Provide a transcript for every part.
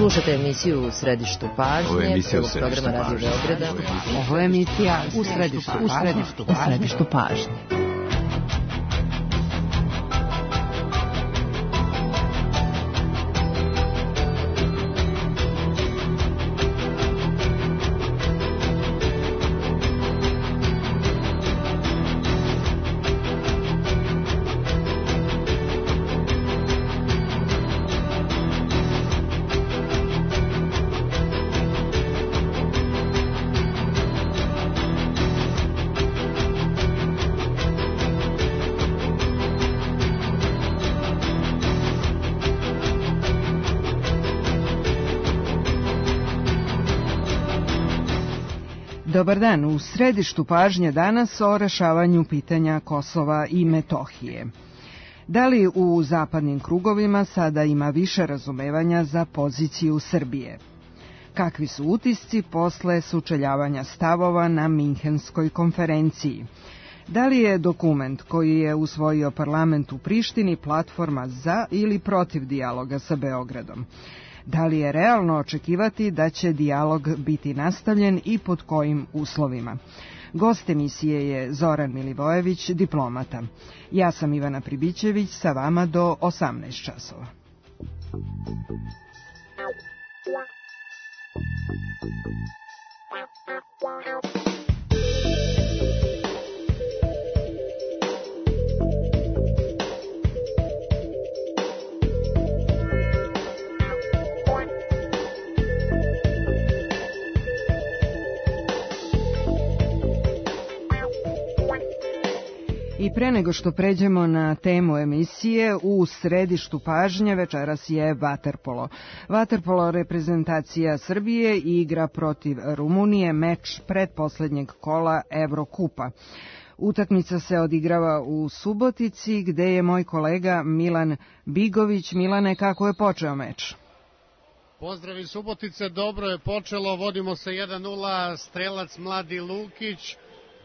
Slušate emisiju U središtu pažnje, prvog programa Radio Beograda. Ovo je emisija U središtu pažnje. Dobar dan, u središtu pažnje danas o rešavanju pitanja Kosova i Metohije. Da li u zapadnim krugovima sada ima više razumevanja za poziciju Srbije? Kakvi su utisci posle sučeljavanja stavova na Minhenskoj konferenciji? Da li je dokument koji je usvojio parlament u Prištini platforma za ili protiv dijaloga sa Beogradom? Da li je realno očekivati da će dijalog biti nastavljen i pod kojim uslovima? Gost emisije je Zoran Milivojević, diplomata. Ja sam Ivana Pribićević, sa vama do 18 časova. I pre nego što pređemo na temu emisije, u središtu pažnje večeras je vaterpolo. Vaterpolo reprezentacija Srbije igra protiv Rumunije meč pretposlednjeg kola Evrokupa. Utakmica se odigrava u Subotici, gde je moj kolega Milan Bigović. Milane, kako je počeo meč? Pozdrav iz Subotice, dobro je počelo, vodimo se 1-0, strelac mladi Lukić.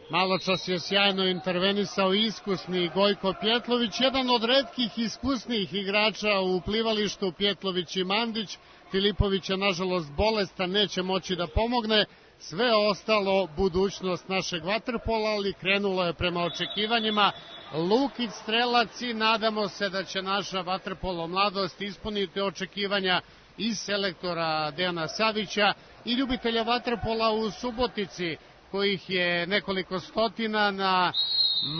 Maločas je sjajno intervenisao iskusni Gojko Pjetlović, jedan od retkih iskusnijih igrača u plivalištu, Pjetlović i Mandić. Filipović je nažalost bolestan, neće moći da pomogne. Sve ostalo budućnost našeg vaterpola, ali krenulo je prema očekivanjima. Lukić strelac i nadamo se da će naša vaterpolo mladost ispuniti očekivanja i selektora Dejana Savića i ljubitelja vaterpola u Subotici, kojih je nekoliko stotina na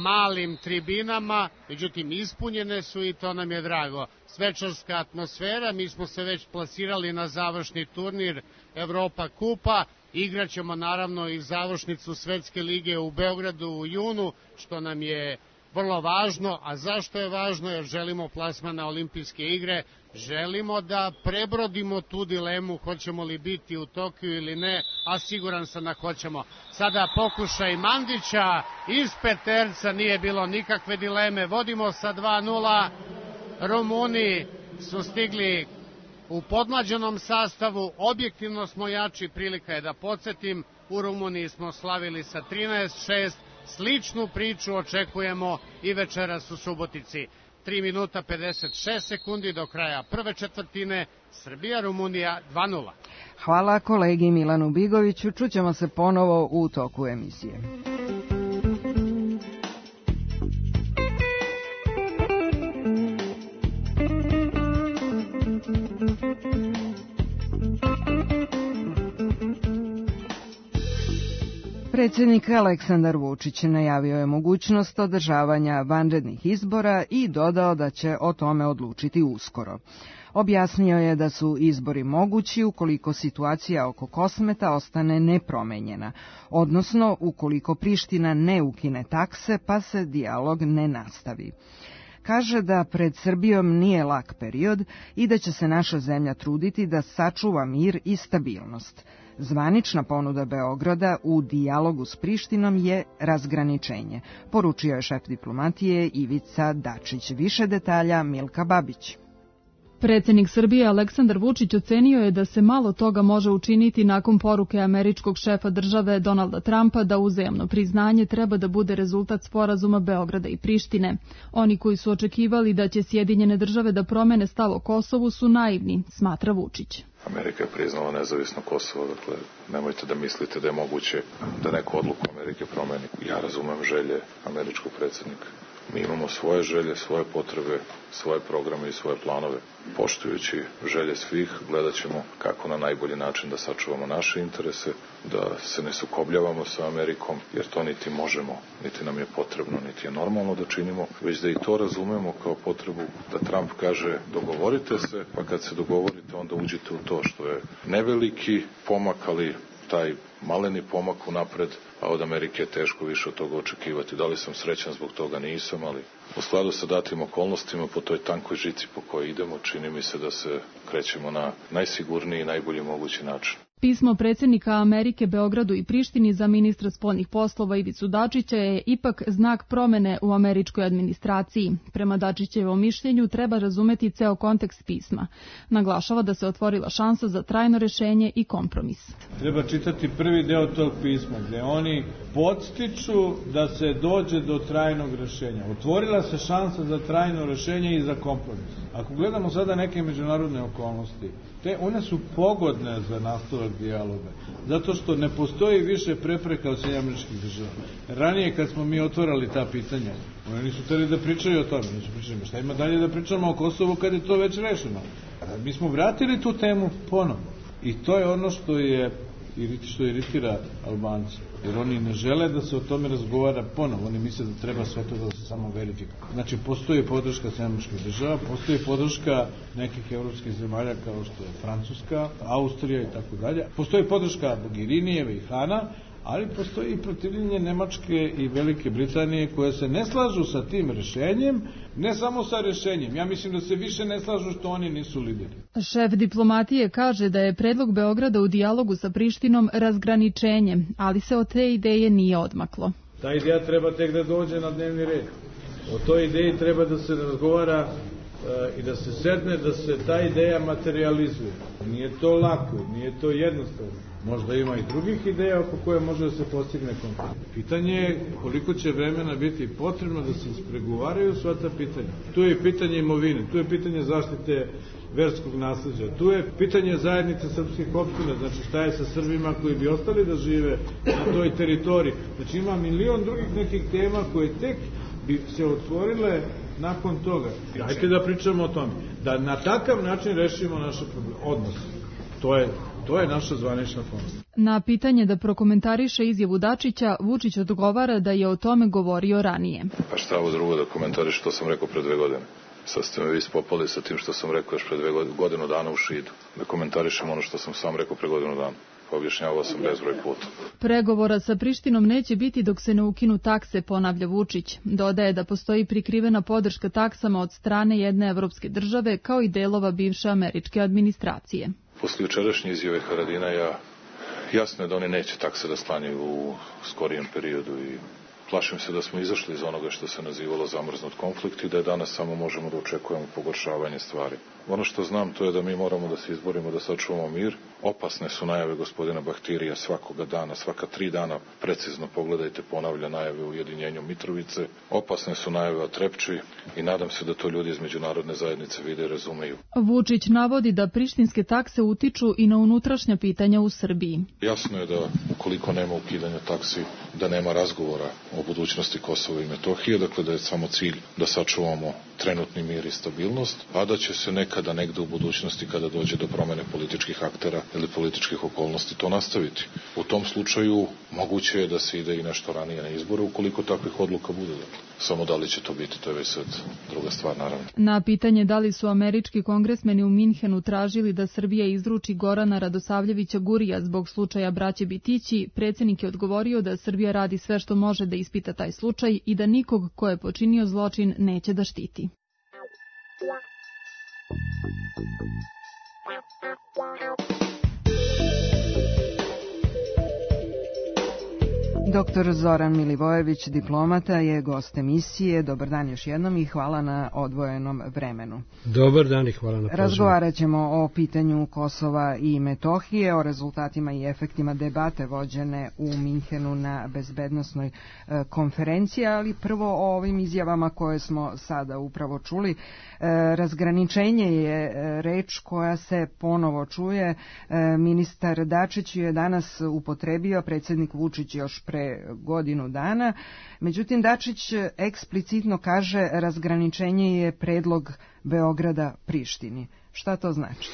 malim tribinama, međutim ispunjene su i to nam je drago. Svečarska atmosfera, mi smo se već plasirali na završni turnir Evropa kupa, igraćemo naravno i završnicu Svetske lige u Beogradu u junu, što nam je vrlo važno. A zašto je važno? Jer želimo plasman na olimpijske igre, želimo da prebrodimo tu dilemu hoćemo li biti u Tokiju ili ne, a siguran sam da hoćemo. Sada pokušaj Mandića iz peterca, nije bilo nikakve dileme, vodimo sa 2-0. Rumuni su stigli u podmlađenom sastavu, objektivno smo jači, prilika je da podsjetim, u Rumuniji smo slavili sa 13-6, sličnu priču očekujemo i večeras u Subotici. 3 minuta 56 sekundi do kraja prve četvrtine, Srbija-Rumunija 2-0. Hvala kolegi Milanu Bigoviću, čućemo se ponovo u toku emisije. Predsjednik Aleksandar Vučić najavio je mogućnost održavanja vanrednih izbora i dodao da će o tome odlučiti uskoro. Objasnio je da su izbori mogući ukoliko situacija oko Kosmeta ostane nepromenjena, odnosno ukoliko Priština ne ukine takse pa se dijalog ne nastavi. Kaže da pred Srbijom nije lak period i da će se naša zemlja truditi da sačuva mir i stabilnost. Zvanična ponuda Beograda u dijalogu s Prištinom je razgraničenje, poručio je šef diplomatije Ivica Dačić. Više detalja Milka Babić. Predsjednik Srbije Aleksandar Vučić ocenio je da se malo toga može učiniti nakon poruke američkog šefa države Donalda Trumpa da uzajamno priznanje treba da bude rezultat sporazuma Beograda i Prištine. Oni koji su očekivali da će Sjedinjene države da promene stav o Kosovu su naivni, smatra Vučić. Amerika je priznala nezavisno Kosovo, dakle, nemojte da mislite da je moguće da neku odluku Amerike promeni. Ja razumem želje američkog predsjednika. Mi imamo svoje želje, svoje potrebe, svoje programe i svoje planove. Poštujući želje svih, gledat ćemo kako na najbolji način da sačuvamo naše interese, da se ne sukobljavamo sa Amerikom, jer to niti možemo, niti nam je potrebno, niti je normalno da činimo, već da i to razumemo kao potrebu da Trump kaže dogovorite se, pa kad se dogovorite onda uđite u to, što je neveliki pomak, ali taj maleni pomak unapred, a od Amerike je teško više od toga očekivati. Da li sam srećan zbog toga? Nisam, ali u skladu sa datim okolnostima po toj tankoj žici po kojoj idemo, čini mi se da se krećemo na najsigurniji i najbolji mogući način. Pismo predsjednika Amerike Beogradu i Prištini za ministra spoljnih poslova Ivicu Dačića je ipak znak promene u američkoj administraciji. Prema Dačićevom mišljenju treba razumeti ceo kontekst pisma. Naglašava da se otvorila šansa za trajno rešenje i kompromis. Treba čitati prvi deo tog pisma gdje oni podstiču da se dođe do trajnog rešenja. Otvorila se šansa za trajno rešenje i za kompromis. Ako gledamo sada neke međunarodne okolnosti, one su pogodne za nastavak dijaloga, zato što ne postoji više prepreka od SAD. Ranije kad smo mi otvarali ta pitanja, oni nisu hteli da pričaju o tome, nisu pričali, šta ima dalje da pričamo o Kosovu kad je to već rešeno. Mi smo vratili tu temu ponovo i to je ono što iritira Albance, jer oni ne žele da se o tome razgovara ponovo, oni misle da treba sve to da se samo verifikuje. Znači, postoji podrška SAD, postoji podrška nekih evropskih zemalja kao što je Francuska, Austrija i tako dalje, postoji podrška Mogherinijeve i Hana, ali postoji i protivljenje Nemačke i Velike Britanije koje se ne slažu sa tim rešenjem, ne samo sa rešenjem. Ja mislim da se više ne slažu što oni nisu lideri. Šef diplomatije kaže da je predlog Beograda u dijalogu sa Prištinom razgraničenje, ali se od te ideje nije odmaklo. Ta ideja treba tek da dođe na dnevni red. O toj ideji treba da se razgovara i da se sedne, da se ta ideja materializuje. Nije to lako, nije to jednostavno. Možda ima i drugih ideja oko koje može da se postigne kompromis. Pitanje je koliko će vremena biti potrebno da se ispregovaraju sva ta pitanja. Tu je pitanje imovine, tu je pitanje zaštite verskog nasleđa, tu je pitanje zajednice srpskih opština, znači šta je sa Srbima koji bi ostali da žive na toj teritoriji. Znači ima milion drugih nekih tema koje tek bi se otvorile nakon toga. Hajde da pričamo o tome. Da na takav način rešimo naše odnose. To je naša zvanična forma. Na pitanje da prokomentariše izjavu Dačića, Vučić odgovara da je o tome govorio ranije. Pa šta ovo drugo da komentariš što sam rekao pre 2 godine? Sad ste me vi spopali sa tim što sam rekao još pre 2 godinu dana u Šidu. Da komentarišem ono što sam sam rekao pre godinu dana. Objašnjavao sam bezbroj puta. Pregovora sa Prištinom neće biti dok se ne ukinu takse, ponavlja Vučić. Dodaje da postoji prikrivena podrška taksama od strane jedne evropske države kao i delova bivše američke administracije. Posle jučerašnje izjave Haradina jasno je da oni neće takse da sklanjaju u skorijem periodu i plašim se da smo izašli iz onoga što se nazivalo zamrznut konflikt i da je danas samo možemo da očekujemo pogoršavanje stvari. Ono što znam to je da mi moramo da se izborimo da sačuvamo mir. Opasne su najave gospodina Bahtirija svakoga dana, svaka 3 dana precizno pogledajte, ponavlja najave o ujedinjenju Mitrovice. Opasne su najave o Trepči i nadam se da to ljudi iz međunarodne zajednice vide i razumeju. Vučić navodi da prištinske takse utiču i na unutrašnja pitanja u Srbiji. Jasno je da ukoliko nema ukidanja taksi, da nema razgovora o budućnosti Kosova i Metohije, dakle da je samo cilj da sačuvamo trenutni mir i stabilnost, a da će se nekada negde u budućnosti kada dođe do promene političkih aktera ili političkih okolnosti to nastaviti. U tom slučaju moguće je da se ide i nešto ranije na izbore ukoliko takvih odluka bude. Samo da li će to biti, to je već sad druga stvar naravno. Na pitanje da li su američki kongresmeni u Minhenu tražili da Srbija izruči Gorana Radosavljevića Gurija zbog slučaja braće Bitići, predsjednik je odgovorio da Srbija radi sve što može da ispita taj slučaj i da nikog ko je počinio zločin neće da štiti. Dr. Zoran Milivojević, diplomata, je gost emisije. Dobar dan još jednom i hvala na odvojenom vremenu. Dobar dan i hvala na pozivu. Razgovarat ćemo o pitanju Kosova i Metohije, o rezultatima i efektima debate vođene u Minhenu na bezbednosnoj konferenciji, ali prvo o ovim izjavama koje smo sada upravo čuli. Razgraničenje je reč koja se ponovo čuje. Ministar Dačić je danas upotrebio, predsjednik Vučić još pre godinu dana. Međutim, Dačić eksplicitno kaže razgraničenje je predlog Beograda Prištini. Šta to znači?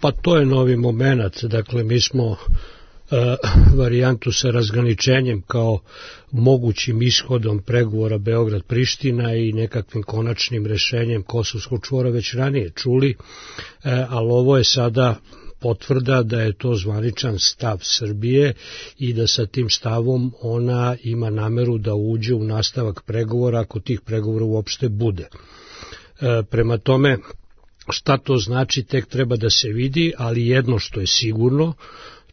Pa to je novi moment. Dakle, mi smo varijantu sa razgraničenjem kao mogućim ishodom pregovora Beograd-Priština i nekakvim konačnim rešenjem Kosovskog čvora već ranije čuli, ali ovo je sada potvrda da je to zvaničan stav Srbije i da sa tim stavom ona ima nameru da uđe u nastavak pregovora ako tih pregovora uopšte bude. Prema tome, šta to znači tek treba da se vidi, ali jedno što je sigurno,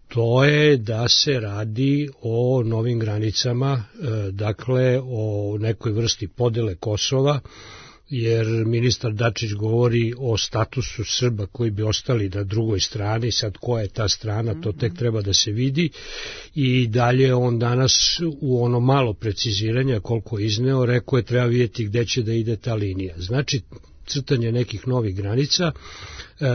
to je da se radi o novim granicama, dakle o nekoj vrsti podele Kosova, jer ministar Dačić govori o statusu Srba koji bi ostali na drugoj strani, sad koja je ta strana, to tek treba da se vidi, i dalje on danas u ono malo preciziranja koliko je izneo, rekao je treba vidjeti gde će da ide ta linija. Znači, crtanje nekih novih granica,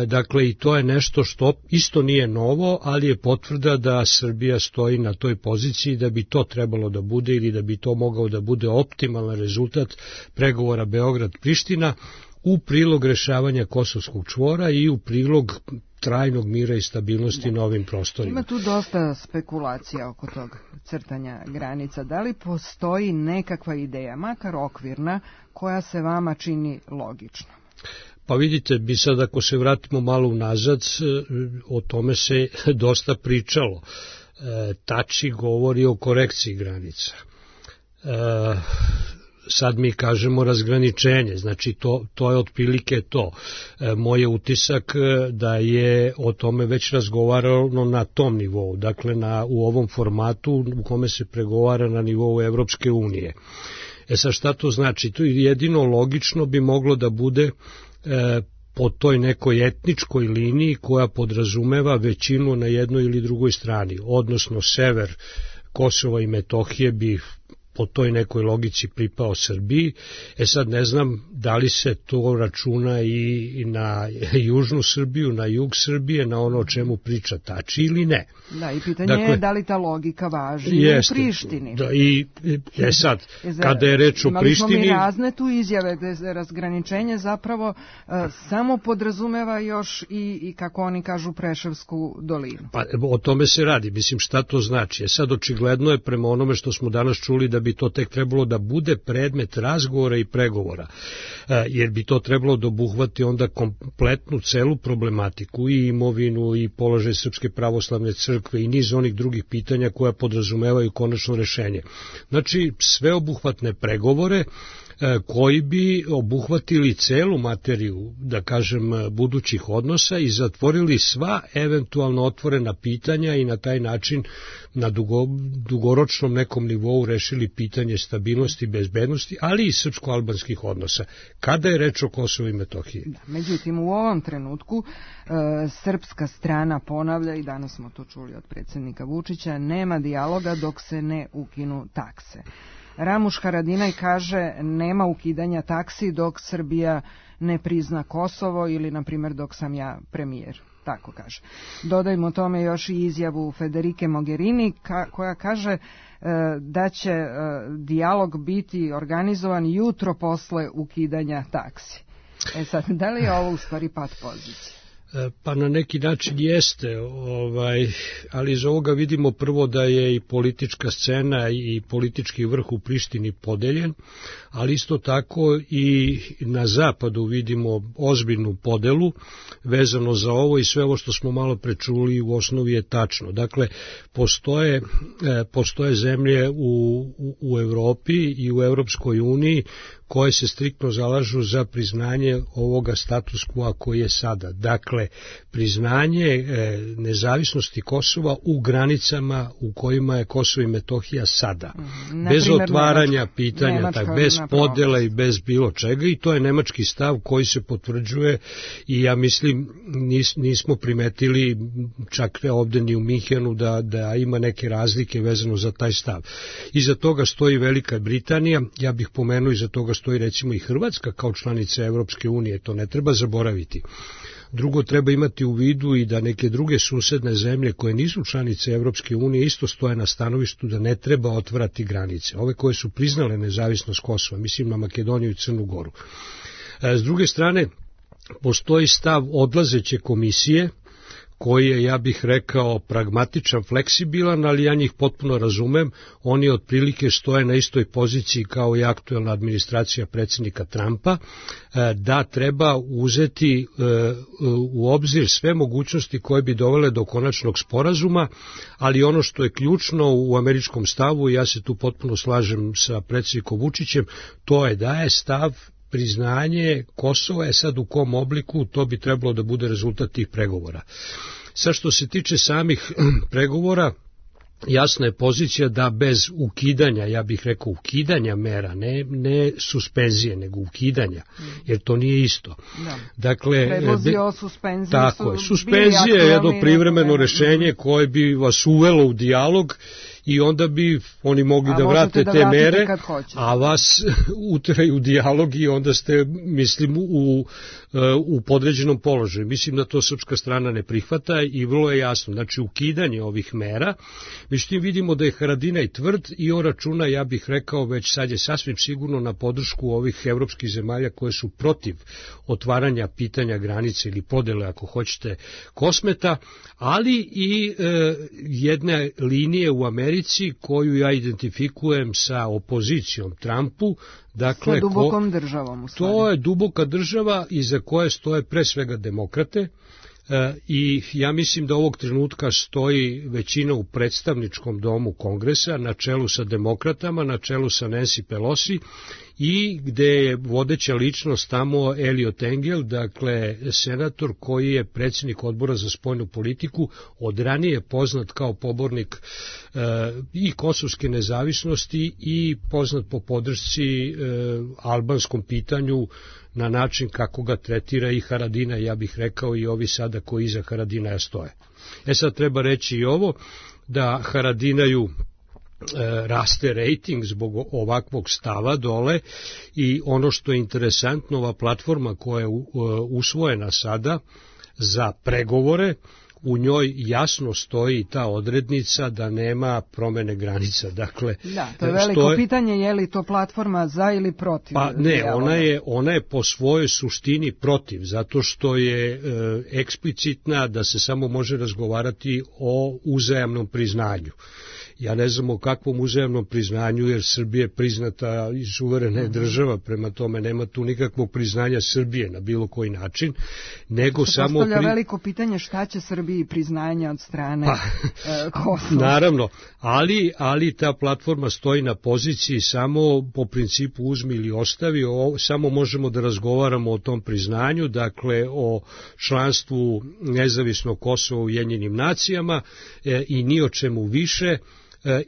dakle i to je nešto što isto nije novo, ali je potvrda da Srbija stoji na toj poziciji da bi to trebalo da bude ili da bi to mogao da bude optimalan rezultat pregovora Beograd-Priština u prilog rešavanja Kosovskog čvora i u prilog trajnog mira i stabilnosti na ovim prostorima. Ima tu dosta spekulacija oko tog crtanja granica. Da li postoji nekakva ideja, makar okvirna, koja se vama čini logična? Pa vidite, bi sad ako se vratimo malo unazad, o tome se dosta pričalo. Tači govori o korekciji granica. Sad mi kažemo razgraničenje, znači to je otprilike to. Moj je utisak da je o tome već razgovarano na tom nivou, dakle u ovom formatu u kome se pregovara na nivou Evropske unije. Sad šta to znači? To jedino logično bi moglo da bude po toj nekoj etničkoj liniji koja podrazumeva većinu na jednoj ili drugoj strani, odnosno sever Kosova i Metohije bi po toj nekoj logici pripao Srbiji. Sad ne znam da li se to računa i na južnu Srbiju, na jug Srbije, na ono o čemu priča Tači ili ne. Da, i pitanje je da li ta logika važi u Prištini. Da, i sad, kada je reč o Prištini... Imali smo mi razne tu izjave gde razgraničenje zapravo samo podrazumeva još i kako oni kažu, Preševsku dolinu. Pa o tome se radi, mislim šta to znači. Sad očigledno je prema onome što smo danas čuli da bi to tek trebalo da bude predmet razgovora i pregovora, jer bi to trebalo da obuhvati onda kompletnu celu problematiku i imovinu i položaj Srpske pravoslavne crkve i niz onih drugih pitanja koja podrazumevaju konačno rešenje. Znači, sveobuhvatne pregovore koji bi obuhvatili celu materiju, da kažem, budućih odnosa i zatvorili sva eventualno otvorena pitanja i na taj način na dugoročnom nekom nivou rešili pitanje stabilnosti i bezbednosti, ali i srpsko-albanskih odnosa, kada je reč o Kosovu i Metohiji. Da, međutim, u ovom trenutku srpska strana ponavlja, i danas smo to čuli od predsjednika Vučića, nema dijaloga dok se ne ukinu takse. Ramuš Haradinaj kaže nema ukidanja taksi dok Srbija ne prizna Kosovo ili, na primjer, dok sam ja premijer. Tako kaže. Dodajmo tome još i izjavu Federike Mogherini koja kaže da će dijalog biti organizovan jutro posle ukidanja taksi. Sad, da li je ovo u stvari pad pozicije? Pa na neki način jeste, ali iz ovoga vidimo prvo da je i politička scena i politički vrh u Prištini podeljen, ali isto tako i na zapadu vidimo ozbiljnu podelu vezano za ovo i sve ovo što smo malo prečuli u osnovi je tačno. Dakle, postoje zemlje u Evropi i u Evropskoj uniji koje se striktno zalažu za priznanje ovoga status quo koji je sada. Dakle, priznanje nezavisnosti Kosova u granicama u kojima je Kosovo i Metohija sada. Bez otvaranja pitanja, bez podela i bez bilo čega, i to je nemački stav koji se potvrđuje i ja mislim nismo primetili čak ovde ni u Minhenu da ima neke razlike vezano za taj stav. Iza toga stoji Velika Britanija, ja bih pomenuo iza toga stoji recimo i Hrvatska kao članica Evropske unije, to ne treba zaboraviti. Drugo, treba imati u vidu i da neke druge susedne zemlje koje nisu članice Evropske unije isto stoje na stanovištu da ne treba otvarati granice. Ove koje su priznale nezavisnost Kosova, mislim na Makedoniju i Crnu Goru. S druge strane, postoji stav odlazeće komisije, koji je, ja bih rekao, pragmatičan, fleksibilan, ali ja njih potpuno razumem. Oni otprilike stoje na istoj poziciji kao i aktuelna administracija predsjednika Trumpa, da treba uzeti u obzir sve mogućnosti koje bi dovele do konačnog sporazuma, ali ono što je ključno u američkom stavu, ja se tu potpuno slažem sa predsjednikom Vučićem, to je da je stav priznanje Kosova je sad u kom obliku, to bi trebalo da bude rezultat tih pregovora. Sad što se tiče samih pregovora, jasna je pozicija da bez ukidanja, ja bih rekao ukidanja mera, ne suspenzije, nego ukidanja, jer to nije isto. Da. Dakle, predlozi o suspenziji tako je, suspenzija je jedno privremeno rešenje koje bi vas uvelo u dijalog i onda bi oni mogli da vrate te mere, a vas uteraju u dijalog i onda ste, mislim, u podređenom položaju. Mislim da to srpska strana ne prihvata i vrlo je jasno. Znači, ukidanje ovih mera, međutim vidimo da je Haradinaj tvrd i on računa, ja bih rekao, već sad je sasvim sigurno na podršku ovih evropskih zemalja koje su protiv otvaranja pitanja granice ili podele, ako hoćete, Kosmeta, ali i jedne linije u Americi koju ja identifikujem sa opozicijom Trumpu. Dakle, sa dubokom državom u stvari. To je duboka država iza koje stoje pre svega demokrate i ja mislim da ovog trenutka stoji većina u predstavničkom domu Kongresa na čelu sa demokratama, na čelu sa Nancy Pelosi i gde je vodeća ličnost tamo Eliot Engel, dakle senator koji je predsjednik odbora za spoljnu politiku, od ranije poznat kao pobornik i kosovske nezavisnosti i poznat po podršci albanskom pitanju na način kako ga tretira i Haradinaj, ja bih rekao i ovi sada koji iza Haradinaja stoje. Sad treba reći i ovo, da Haradinaju raste rejting zbog ovakvog stava dole i ono što je interesantno, ova platforma koja je usvojena sada za pregovore, u njoj jasno stoji ta odrednica da nema promene granica. Dakle, da, to je veliko pitanje, je li to platforma za ili protiv? Pa ne, ona je po svojoj suštini protiv, zato što je eksplicitna da se samo može razgovarati o uzajamnom priznanju. Ja ne znam o kakvom uzajamnom priznanju, jer Srbija je priznata i suverena je država, prema tome nema tu nikakvog priznanja Srbije na bilo koji način, nego samo... Postavlja veliko pitanje šta će Srbiji priznanja od strane Kosova. Naravno, ali ta platforma stoji na poziciji samo po principu uzmi ili ostavi, samo možemo da razgovaramo o tom priznanju, dakle o članstvu nezavisnog Kosova u Ujedinjenim nacijama i ni o čemu više.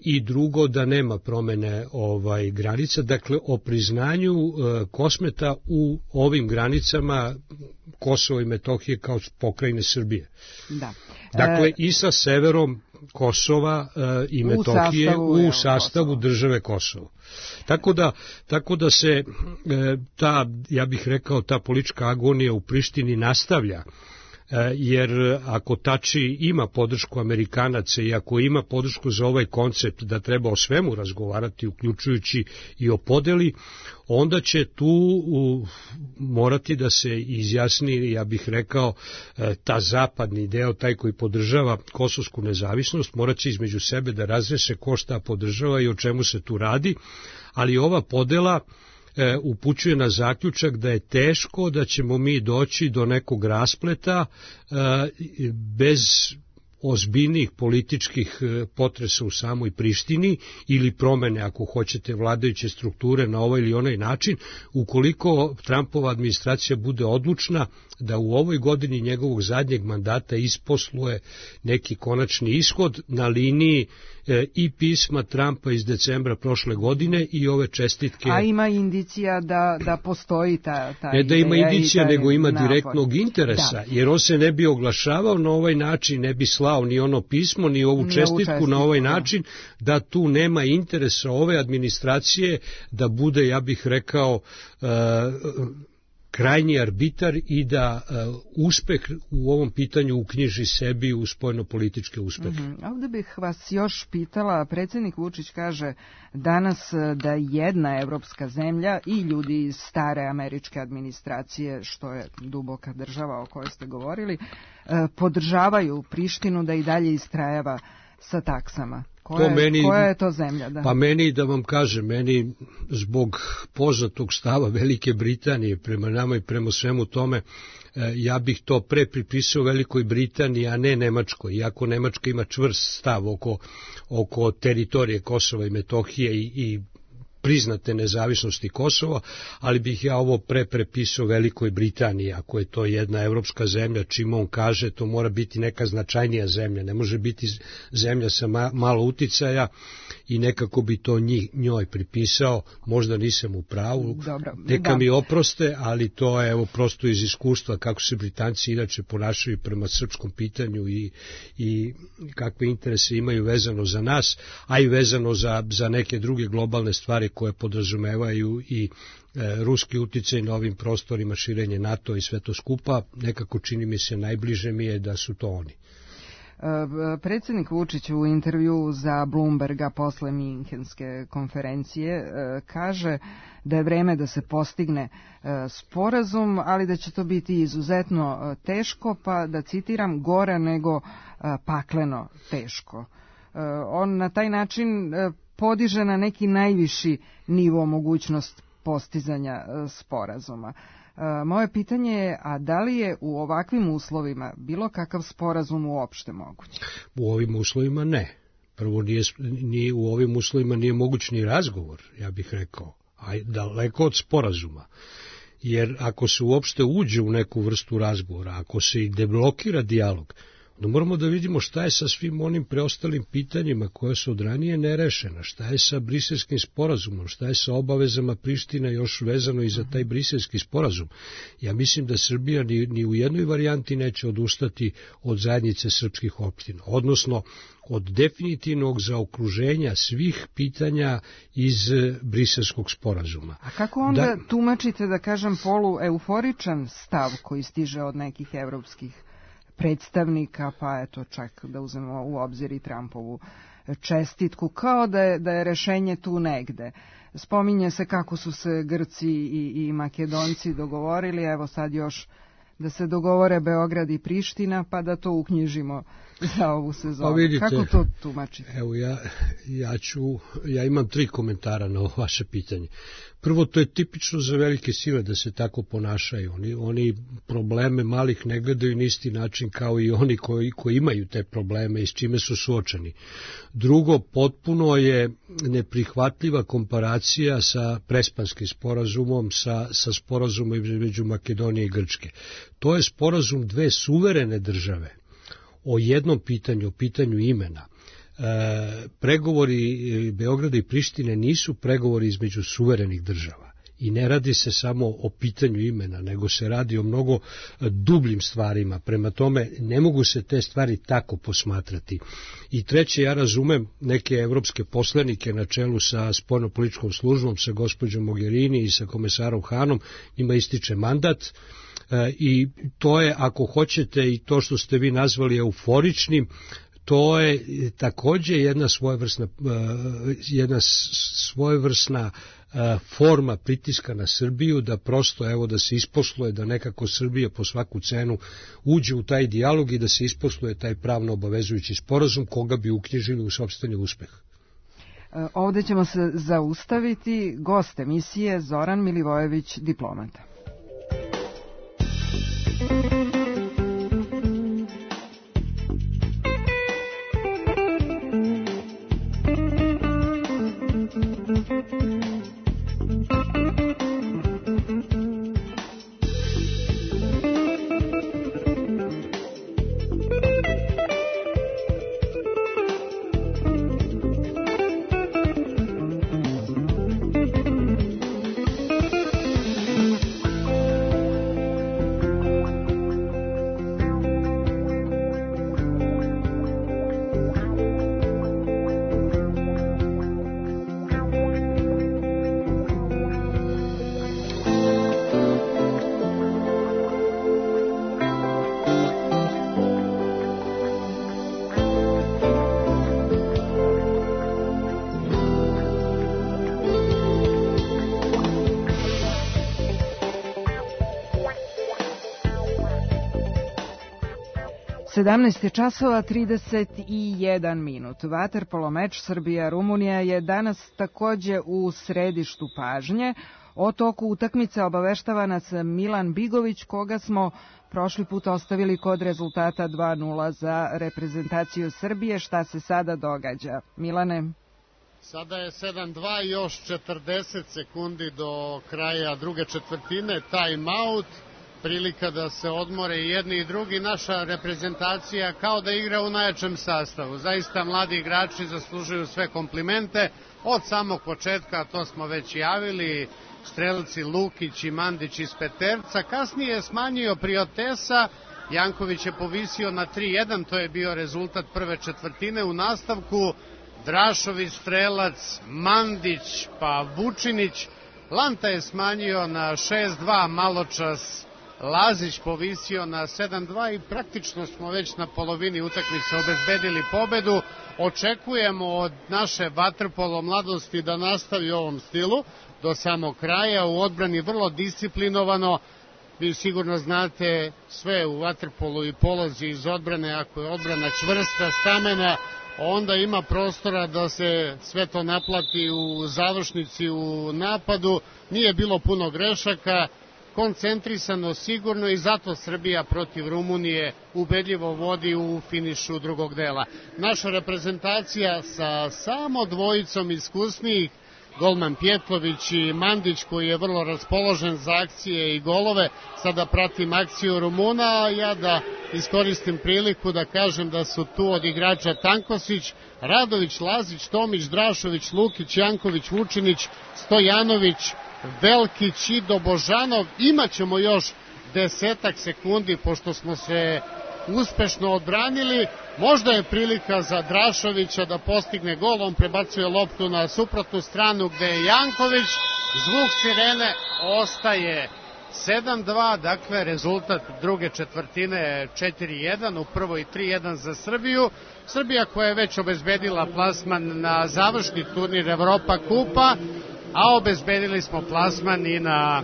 I drugo, da nema promene granica, dakle o priznanju Kosmeta u ovim granicama Kosova i Metohije kao pokrajine Srbije. Da. Dakle i sa severom Kosova i Metohije u sastavu države Kosovo. Tako da se ta, ja bih rekao, ta politička agonija u Prištini nastavlja, jer ako Tači ima podršku Amerikanaca i ako ima podršku za ovaj koncept da treba o svemu razgovarati, uključujući i o podeli, onda će tu morati da se izjasni, ja bih rekao, ta zapadni deo, taj koji podržava kosovsku nezavisnost, morat će između sebe da razreše ko šta podržava i o čemu se tu radi, ali ova podela upućuje na zaključak da je teško da ćemo mi doći do nekog raspleta bez ozbiljnih političkih potresa u samoj Prištini ili promene, ako hoćete, vladajuće strukture na ovaj ili onaj način, ukoliko Trumpova administracija bude odlučna da u ovoj godini njegovog zadnjeg mandata isposluje neki konačni ishod na liniji i pisma Trumpa iz decembra prošle godine i ove čestitke. A ima indicija da postoji ta ne da ima indicija, nego ima direktnog interesa, jer on se ne bi oglašavao na ovaj način, ne bi slao ni ono pismo, ni ovu čestitku na ovaj način, da tu nema interesa ove administracije da bude, ja bih rekao, krajnji arbitar i da uspeh u ovom pitanju uknjiži sebi u spoljno-političke uspehe. Ovdje bih vas još pitala, predsjednik Vučić kaže danas da jedna evropska zemlja i ljudi iz stare američke administracije, što je duboka država o kojoj ste govorili, podržavaju Prištinu da i dalje istrajava sa taksama. Koja je to zemlja? Da? Pa meni, da vam kažem, meni zbog poznatog stava Velike Britanije prema nama i prema svemu tome, ja bih to pre pripisao Velikoj Britaniji, a ne Nemačkoj, iako Nemačka ima čvrst stav oko teritorije Kosova i Metohije i priznate nezavisnosti Kosova, ali bih ja ovo prepisao Velikoj Britaniji, ako je to jedna evropska zemlja, čim on kaže, to mora biti neka značajnija zemlja, ne može biti zemlja sa malo uticaja i nekako bi to njoj pripisao, možda nisam u pravu, neka mi oproste, ali to je evo prosto iz iskustva kako se Britanci inače ponašaju prema srpskom pitanju i kakve interese imaju vezano za nas, a i vezano za neke druge globalne stvari koje podrazumevaju i ruski uticaj na ovim prostorima, širenje NATO i sve to skupa, nekako čini mi se najbliže mi je da su to oni. Predsjednik Vučić u intervju za Bloomberga posle Minhenske konferencije kaže da je vreme da se postigne sporazum, ali da će to biti izuzetno teško, pa da citiram, gore nego pakleno teško. On na taj način podiže na neki najviši nivo mogućnost postizanja sporazuma. Moje pitanje je, a da li je u ovakvim uslovima bilo kakav sporazum uopšte moguć? U ovim uslovima ne. Prvo, u ovim uslovima nije moguć ni razgovor, ja bih rekao, a daleko od sporazuma. Jer ako se uopšte uđe u neku vrstu razgovora, ako se i deblokira dijalog, onda moramo da vidimo šta je sa svim onim preostalim pitanjima koja su od ranije nerešena, šta je sa briselskim sporazumom, šta je sa obavezama Priština još vezano i za taj briselski sporazum. Ja mislim da Srbija ni u jednoj varijanti neće odustati od zajednice srpskih opština, odnosno od definitivnog zaokruženja svih pitanja iz briselskog sporazuma. A kako onda tumačite, da kažem, polueuforičan stav koji stiže od nekih evropskih predstavnika, pa eto čak da uzmemo u obzir i Trumpovu čestitku, kao da je rešenje tu negde. Spominje se kako su se Grci i Makedonci dogovorili, evo sad još da se dogovore Beograd i Priština, pa da to uknjižimo za ovu sezonu. Pa vidite, kako to tumačite? Evo ja imam 3 komentara na ovo vaše pitanje. Prvo, to je tipično za velike sile da se tako ponašaju. Oni probleme malih ne gledaju na isti način kao i oni koji imaju te probleme i s čime su suočeni. Drugo, potpuno je neprihvatljiva komparacija sa Prespanskim sporazumom, sa sporazumom između Makedonije i Grčke. To je sporazum dve suverene države o jednom pitanju, o pitanju imena. Pregovori Beograda i Prištine nisu pregovori između suverenih država i ne radi se samo o pitanju imena, nego se radi o mnogo dubljim stvarima. Prema tome, ne mogu se te stvari tako posmatrati. I treće, ja razumem neke evropske poslanike na čelu sa spoljnopolitičkom službom, sa gospođom Mogherini i sa komesarom Hanom, njima ističe mandat. I to je, ako hoćete, i to što ste vi nazvali euforičnim, to je takođe jedna svojevrsna forma pritiska na Srbiju, da prosto, evo, da se isposluje, da nekako Srbija po svaku cenu uđe u taj dijalog i da se isposluje taj pravno obavezujući sporazum koga bi uknjižili u sopstveni uspeh. Ovde ćemo se zaustaviti. Gost emisije Zoran Milivojević, diplomata. 17 časova 31 minut. Vaterpolo meč Srbija-Rumunija je danas takođe u središtu pažnje. O toku utakmice obaveštava nas Milan Bigović, koga smo prošli put ostavili kod rezultata 2:0 za reprezentaciju Srbije. Šta se sada događa? Milane? Sada je 7:2 i još 40 sekundi do kraja druge četvrtine. Time out. Prilika da se odmore i jedni i drugi. Naša reprezentacija kao da igra u najjačem sastavu. Zaista mladi igrači zaslužuju sve komplimente od samog početka, to smo već javili, strelci Lukić i Mandić iz peterca. Kasnije je smanjio Priotesa, Janković je povisio na 3:1, to je bio rezultat prve četvrtine. U nastavku Drašović, strelac, Mandić pa Vučinić. Lanta je smanjio na 6:2, maločas Lazić povisio na 7:2 i praktično smo već na polovini utakmice obezbedili pobedu. Očekujemo od naše vaterpolo mladosti da nastavi u ovom stilu do samog kraja, u odbrani vrlo disciplinovano. Vi sigurno znate sve u vaterpolu i polazi iz odbrane. Ako je odbrana čvrsta, stamena, onda ima prostora da se sve to naplati u završnici, u napadu. Nije bilo puno grešaka, koncentrisano, sigurno, i zato Srbija protiv Rumunije ubedljivo vodi u finišu drugog dela. Naša reprezentacija sa samo dvojicom iskusnijih, golman Pjetlović i Mandić, koji je vrlo raspoložen za akcije i golove. Sada pratim akciju Rumuna, a ja da iskoristim priliku da kažem da su tu od igrača Tankosić, Radović, Lazić, Tomić, Drašović, Lukić, Janković, Vučinić, Stojanović, Velkić i Dobožanov. Imaćemo još 10 sekundi pošto smo se uspešno odbranili. Možda je prilika za Drašovića da postigne gol, on prebacuje loptu na suprotnu stranu gde je Janković. Zvuk sirene, ostaje 7:2, dakle rezultat druge četvrtine je 4:1, u prvoj 3:1 za Srbiju. Srbija koja je već obezbedila plasman na završni turnir Evropa kupa, a obezbedili smo plasman i na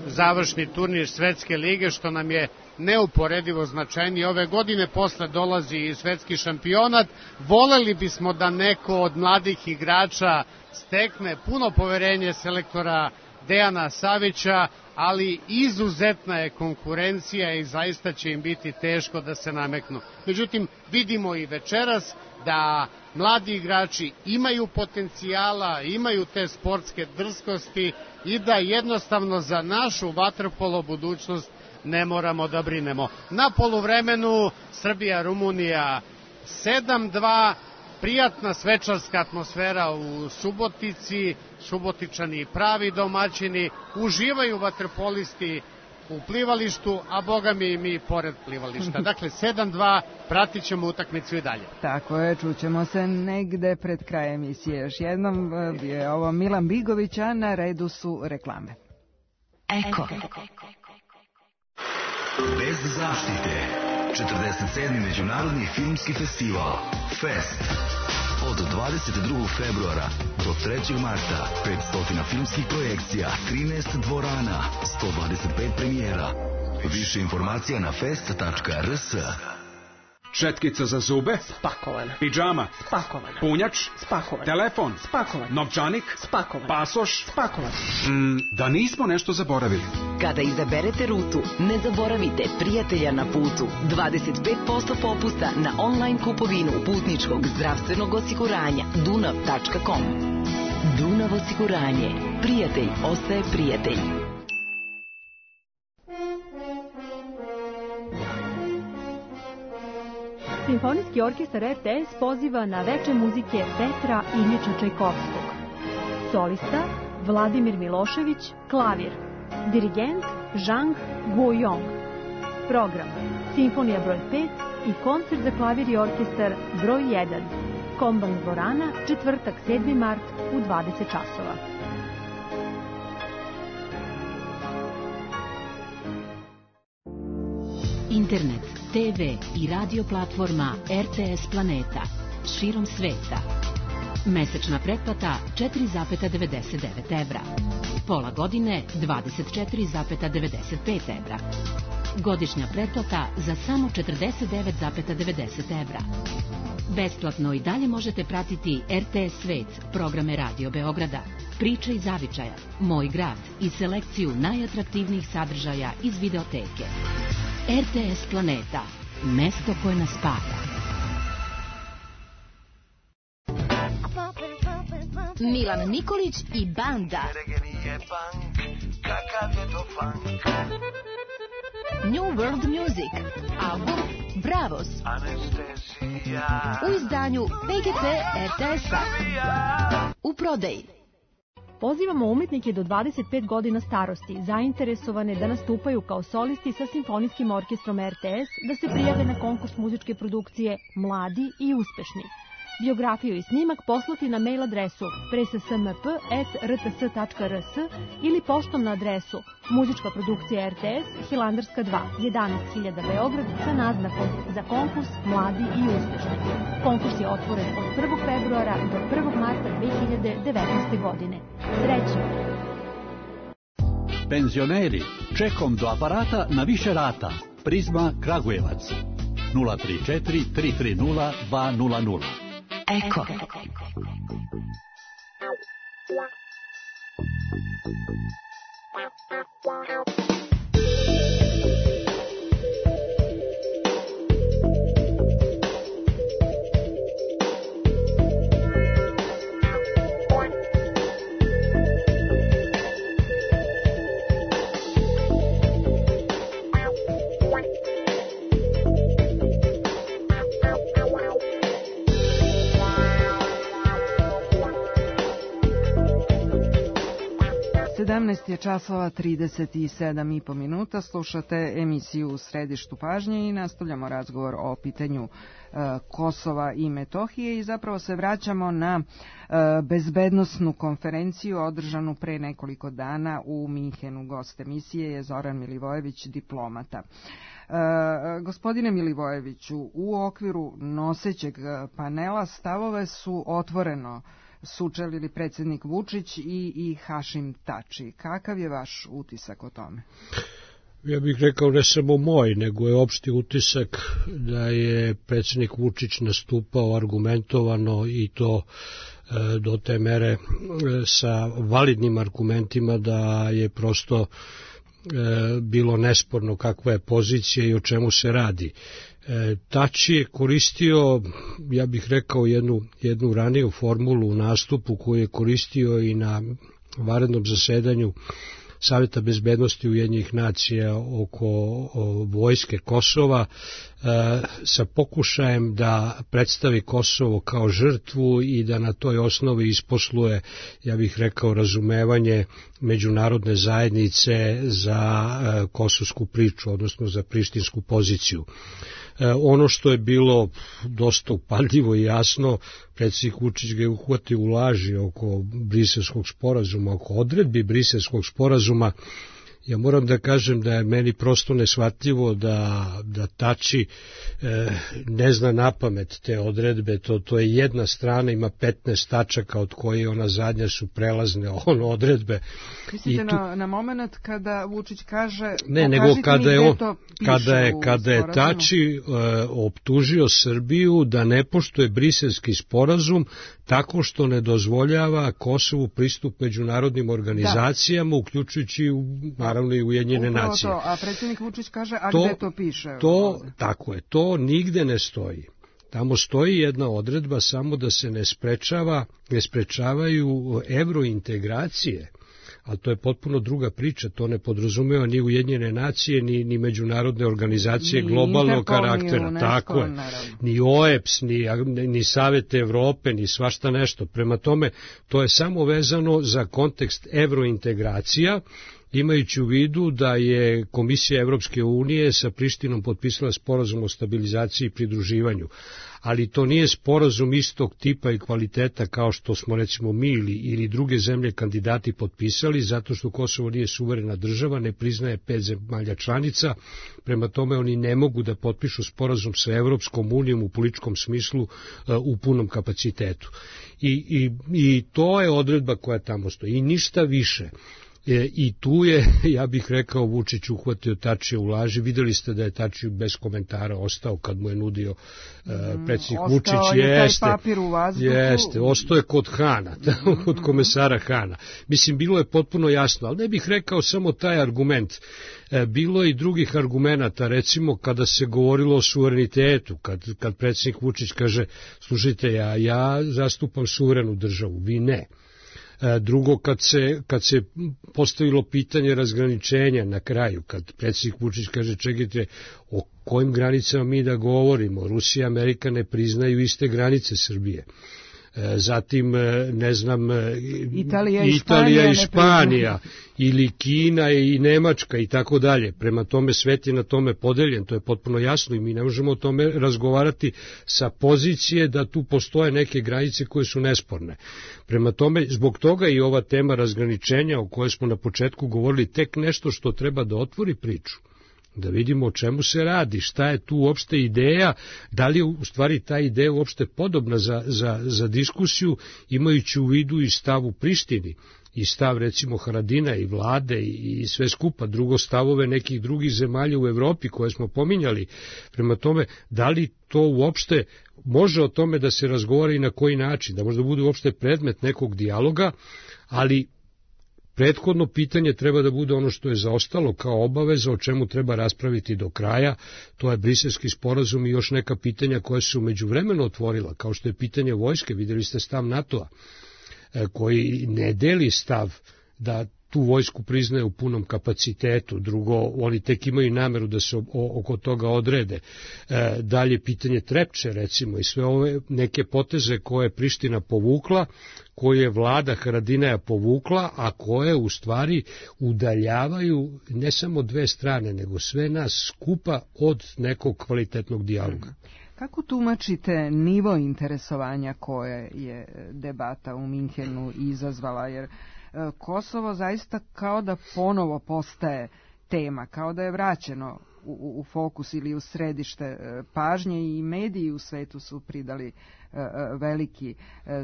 završni turnir Svetske lige, što nam je neuporedivo značajnije. Ove godine posle dolazi i svetski šampionat. Voleli bismo da neko od mladih igrača stekne puno poverenje selektora Dejana Savića, ali izuzetna je konkurencija i zaista će im biti teško da se nameknu. Međutim, vidimo i večeras da mladi igrači imaju potencijala, imaju te sportske drskosti i da jednostavno za našu vaterpolo budućnost ne moramo da brinemo. Na poluvremenu Srbija-Rumunija 7:2, prijatna svečarska atmosfera u Subotici, Subotičani pravi domaćini, uživaju vaterpolisti u plivalištu, a boga mi i mi pored plivališta. Dakle, 7:2, pratit ćemo utakmicu i dalje. Tako je, čućemo se negde pred krajem emisije. Još jednom je ovo Milan Bigović, a na redu su reklame. Eko. Bez zaštite. 47. Međunarodni filmski festival Fest. Od 22. februara do 3. marta 500 filmskih projekcija, 13 dvorana, 125 premijera. Više informacija na fest.rs. Četkica za zube? Spakovana. Pidžama? Spakovana. Punjač? Spakovan. Telefon? Spakovan. Novčanik? Spakovan. Pasoš? Spakovan. Da nismo nešto zaboravili. Kada izaberete rutu, ne zaboravite prijatelja na putu. 25% popusta na online kupovinu putničkog zdravstvenog osiguranja. Dunav.com. Dunav osiguranje. Prijatelj ostaje prijatelj. Simfonijski orkestar RTS poziva na veče muzike Petra Iljiča Čajkovskog. Solista Vladimir Milošević, klavir. Dirigent Zhang Guoyong. Program Simfonija broj 5 i koncert za klavir i orkestar broj 1. Komban dvorana, četvrtak 7. mart u 20 časova. Internet, TV i radio platforma RTS Planeta širom sveta. Mesečna pretplata 4,99 evra. Pola godine 24,95 evra. Godišnja pretplata za samo 49,90 evra. Besplatno i dalje možete pratiti RTS Svet, programe Radio Beograda, Priče iz zavičaja, Moj grad i selekciju najatraktivnijih sadržaja iz videoteke. RTS Planeta, mesto koje nas spaja. Milan Nikolić i banda. New World Music, album Bravos, u izdanju PGP RTS-a, u prodaji. Pozivamo umetnike do 25 godina starosti, zainteresovane da nastupaju kao solisti sa Simfonijskim orkestrom RTS, da se prijave na konkurs muzičke produkcije Mladi i uspešni. Biografiju i snimak poslati na mail adresu presasmp@rts.rs ili poštom na adresu Muzička produkcija RTS, Hilandarska 2, 11.000 Beograd, sa naznakom za konkurs Mladi i uspešni. Konkurs je otvoren od 1. februara do 1. marta 2019. godine. Srećno! Penzioneri, čekom do aparata na više rata. Prizma Kragujevac. 034 330 200. Eko. Je časova 37,5 minuta, slušate emisiju U središtu pažnje i nastavljamo razgovor o pitanju Kosova i Metohije i zapravo se vraćamo na bezbednosnu konferenciju održanu pre nekoliko dana u Minhenu. Gost emisije je Zoran Milivojević, diplomata. Gospodine Milivojeviću, u okviru nosećeg panela stavove su otvoreno sučelili predsjednik Vučić i Hašim Tači. Kakav je vaš utisak o tome? Ja bih rekao ne samo moj, nego je opšti utisak da je predsjednik Vučić nastupao argumentovano i to do te mere sa validnim argumentima da je prosto bilo nesporno kakva je pozicija i o čemu se radi. Tači je koristio, ja bih rekao, jednu raniju formulu u nastupu koju je koristio i na vanrednom zasedanju Saveta bezbednosti Ujedinjenih nacija oko vojske Kosova sa pokušajem da predstavi Kosovo kao žrtvu i da na toj osnovi isposluje, ja bih rekao, razumevanje međunarodne zajednice za kosovsku priču, odnosno za prištinsku poziciju. Ono što je bilo dosta upadljivo i jasno, predsjednik Vučić ga je uhvatio u laži oko Briselskog sporazuma, oko odredbi Briselskog sporazuma. Ja moram da kažem da je meni prosto neshvatljivo da Tači ne zna napamet te odredbe, to je jedna strana, ima 15 tačaka od koje ona zadnja su prelazne odredbe. Mislite na moment kada Vučić kaže ne, nego kada je Tači optužio Srbiju da ne poštuje Briselski sporazum tako što ne dozvoljava Kosovu pristup međunarodnim organizacijama, uključujući naravno i Ujedinjene nacije. A predsjednik Vučić kaže, a gde to piše? Tako je, to nigde ne stoji. Tamo stoji jedna odredba samo da se ne sprečavaju evrointegracije, ali to je potpuno druga priča, to ne podrazumeva ni Ujedinjene nacije, ni međunarodne organizacije globalnog karaktera, tako je, ni OEBS, ni Savet Evrope, ni svašta nešto. Prema tome, to je samo vezano za kontekst evrointegracija, imajući u vidu da je Komisija Evropske unije sa Prištinom potpisala sporazum o stabilizaciji i pridruživanju. Ali to nije sporazum istog tipa i kvaliteta kao što smo recimo mi ili druge zemlje kandidati potpisali, zato što Kosovo nije suverena država, ne priznaje 5 zemalja članica, prema tome oni ne mogu da potpišu sporazum sa Evropskom unijom u političkom smislu u punom kapacitetu. I to je odredba koja tamo stoji i ništa više. I tu je, ja bih rekao, Vučić uhvatio Tačija u laži. Videli ste da je Tačiju bez komentara ostao kad mu je nudio predsjednik Vučić. Ostao je taj papir u vazduhu. Jeste, ostao je kod Hana, kod komesara Hana. Mislim, bilo je potpuno jasno, ali ne bih rekao samo taj argument. Bilo je i drugih argumenata, recimo kada se govorilo o suverenitetu, kad predsjednik Vučić kaže, slušajte, ja zastupam suverenu državu, vi ne. Drugo, kad se postavilo pitanje razgraničenja na kraju, kad predsjednik Vučić kaže, čekajte, o kojim granicama mi da govorimo, Rusija i Amerika ne priznaju iste granice Srbije. Zatim, ne znam, Italija i Španija ili Kina i Nemačka i tako dalje. Prema tome svet je na tome podeljen, to je potpuno jasno i mi ne možemo o tome razgovarati sa pozicije da tu postoje neke granice koje su nesporne. Prema tome, zbog toga i ova tema razgraničenja o kojoj smo na početku govorili tek nešto što treba da otvori priču. Da vidimo o čemu se radi, šta je tu uopšte ideja, da li je u stvari ta ideja uopšte podobna za diskusiju, imajući u vidu i stav u Prištini, i stav recimo Haradina i vlade i sve skupa, drugo stavove nekih drugih zemalja u Evropi koje smo pominjali. Prema tome, da li to uopšte može o tome da se razgovara i na koji način, da možda bude uopšte predmet nekog dijaloga, ali prethodno pitanje treba da bude ono što je zaostalo kao obaveza, o čemu treba raspraviti do kraja, to je Briselski sporazum i još neka pitanja koja su međuvremeno otvorila, kao što je pitanje vojske, vidjeli ste stav NATO-a, koji ne deli stav da tu vojsku priznaje u punom kapacitetu, drugo, oni tek imaju nameru da se oko toga odrede. Dalje, pitanje Trepče, recimo, i sve ove neke poteze koje je Priština povukla, koje je vlada Haradinaja povukla, a koje u stvari udaljavaju ne samo dve strane, nego sve nas skupa od nekog kvalitetnog dijaloga. Kako tumačite nivo interesovanja koje je debata u Minhenu izazvala, jer Kosovo zaista kao da ponovo postaje tema, kao da je vraćeno u fokus ili u središte pažnje i mediji u svetu su pridali veliki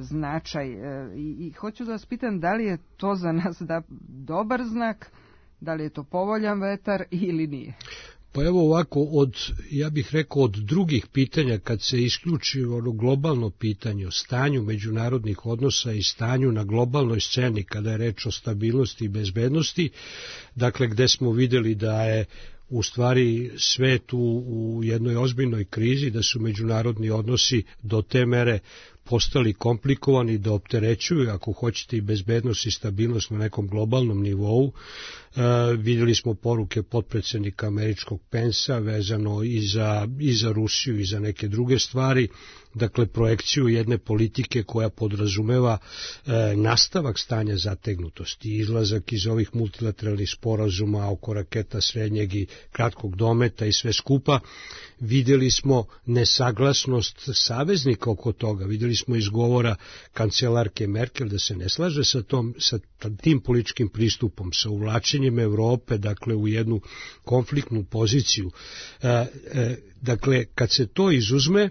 značaj. I hoću da vas pitam da li je to za nas dobar znak, da li je to povoljan vetar ili nije? Pa evo ovako, ja bih rekao od drugih pitanja, kad se isključi ono globalno pitanje o stanju međunarodnih odnosa i stanju na globalnoj sceni, kada je reč o stabilnosti i bezbednosti, dakle gde smo vidjeli da je u stvari svet u jednoj ozbiljnoj krizi, da su međunarodni odnosi do te mere postali komplikovani, da opterećuju, ako hoćete, i bezbednost i stabilnost na nekom globalnom nivou. Vidjeli smo poruke potpredsjednika američkog Pensa vezano i za Rusiju i za neke druge stvari, dakle projekciju jedne politike koja podrazumeva nastavak stanja zategnutosti, izlazak iz ovih multilateralnih sporazuma oko raketa srednjeg i kratkog dometa i sve skupa. Vidjeli smo nesaglasnost saveznika oko toga, vidjeli smo izgovora kancelarke Merkel da se ne slaže sa tim političkim pristupom, sa uvlačenjem Evrope, dakle u jednu konfliktnu poziciju. Dakle, kad se to izuzme,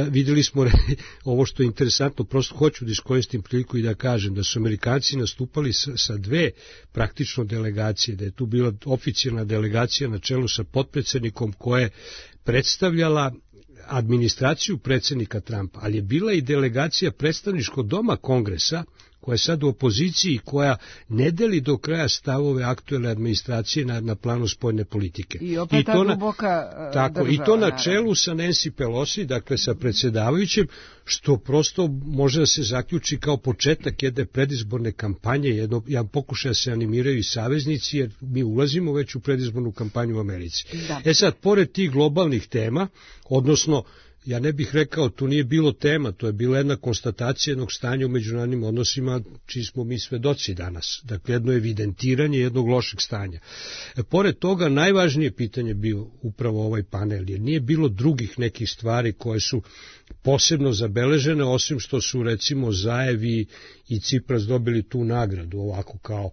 vidjeli smo ovo što je interesantno, prosto hoću da iskoristim priliku i da kažem da su Amerikanci nastupali sa dve praktično delegacije, da je tu bila oficijalna delegacija na čelu sa potpredsjednikom koja je predstavljala administraciju predsjednika Trumpa, ali je bila i delegacija predstavničkog doma Kongresa, koja je sad u opoziciji, koja ne deli do kraja stavove aktuelne administracije na planu spoljne politike. I opet ta duboka država. I to na čelu sa Nancy Pelosi, dakle sa predsjedavajućim, što prosto može da se zaključi kao početak jedne predizborne kampanje, jedan pokušaj da se animiraju i saveznici, jer mi ulazimo već u predizbornu kampanju u Americi. Da. Sad, pored tih globalnih tema, odnosno, ja ne bih rekao, tu nije bilo tema, to je bila jedna konstatacija jednog stanja u međunarodnim odnosima, čiji smo mi svedoci danas. Dakle, jedno evidentiranje jednog lošeg stanja. Pored toga, najvažnije pitanje bio upravo ovaj panel, jer nije bilo drugih nekih stvari koje su posebno zabeležene, osim što su recimo Zaev i Cipras dobili tu nagradu, ovako kao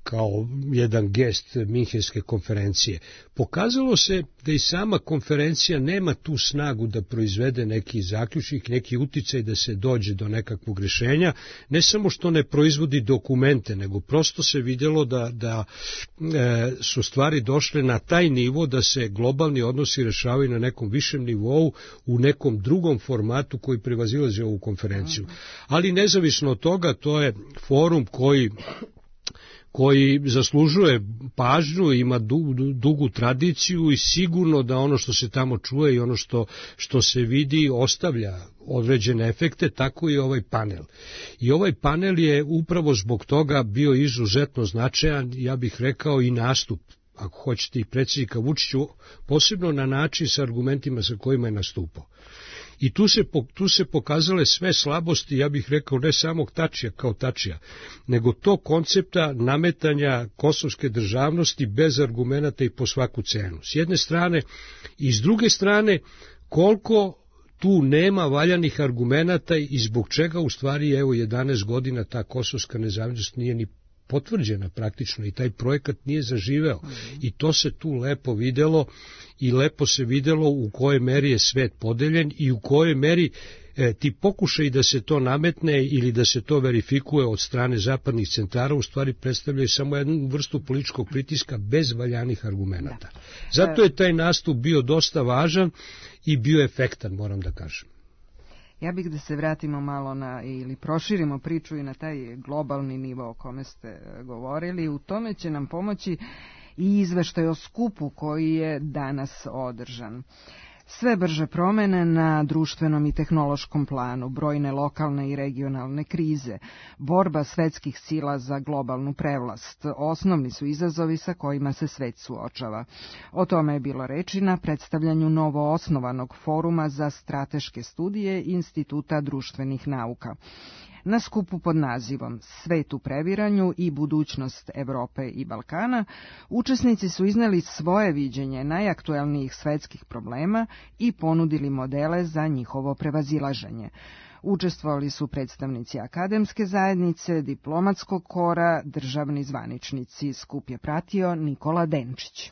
kao jedan gest Minhenske konferencije. Pokazalo se da i sama konferencija nema tu snagu da proizvede neki zaključnik, neki uticaj da se dođe do nekakvog rešenja, ne samo što ne proizvodi dokumente, nego prosto se vidjelo da su stvari došle na taj nivo da se globalni odnosi rešavaju na nekom višem nivou, u nekom drugom formatu koji prevazilazi ovu konferenciju. Ali nezavisno od toga, to je forum koji zaslužuje pažnju, ima dugu tradiciju i sigurno da ono što se tamo čuje i ono što se vidi ostavlja određene efekte, tako i ovaj panel. I ovaj panel je upravo zbog toga bio izuzetno značajan, ja bih rekao i nastup, ako hoćete, i predsjednika Vučića, posebno na način sa argumentima sa kojima je nastupao. I tu se pokazale sve slabosti, ja bih rekao, ne samog Tačija kao Tačija, nego to koncepta nametanja kosovske državnosti bez argumenata i po svaku cenu. S jedne strane i s druge strane, koliko tu nema valjanih argumenata i zbog čega u stvari, evo, 11 godina ta kosovska nezavisnost nije ni potvrđena praktično i taj projekat nije zaživeo. I to se tu lepo videlo i lepo se videlo u kojoj meri je svet podeljen i u kojoj meri ti pokušaj da se to nametne ili da se to verifikuje od strane zapadnih centara u stvari predstavljaju samo jednu vrstu političkog pritiska bez valjanih argumenata. Zato je taj nastup bio dosta važan i bio efektan, moram da kažem. Ja bih da se vratimo malo ili proširimo priču i na taj globalni nivo o kome ste govorili. U tome će nam pomoći i izveštaj o skupu koji je danas održan. Sve brže promene na društvenom i tehnološkom planu, brojne lokalne i regionalne krize, borba svetskih sila za globalnu prevlast, osnovni su izazovi sa kojima se svet suočava. O tome je bilo reči na predstavljanju novo osnovanog foruma za strateške studije Instituta društvenih nauka. Na skupu pod nazivom Svet u previranju i budućnost Evrope i Balkana, učesnici su izneli svoje viđenje najaktuelnijih svetskih problema i ponudili modele za njihovo prevazilaženje. Učestvovali su predstavnici akademske zajednice, diplomatskog kora, državni zvaničnici. Skup je pratio Nikola Denčić.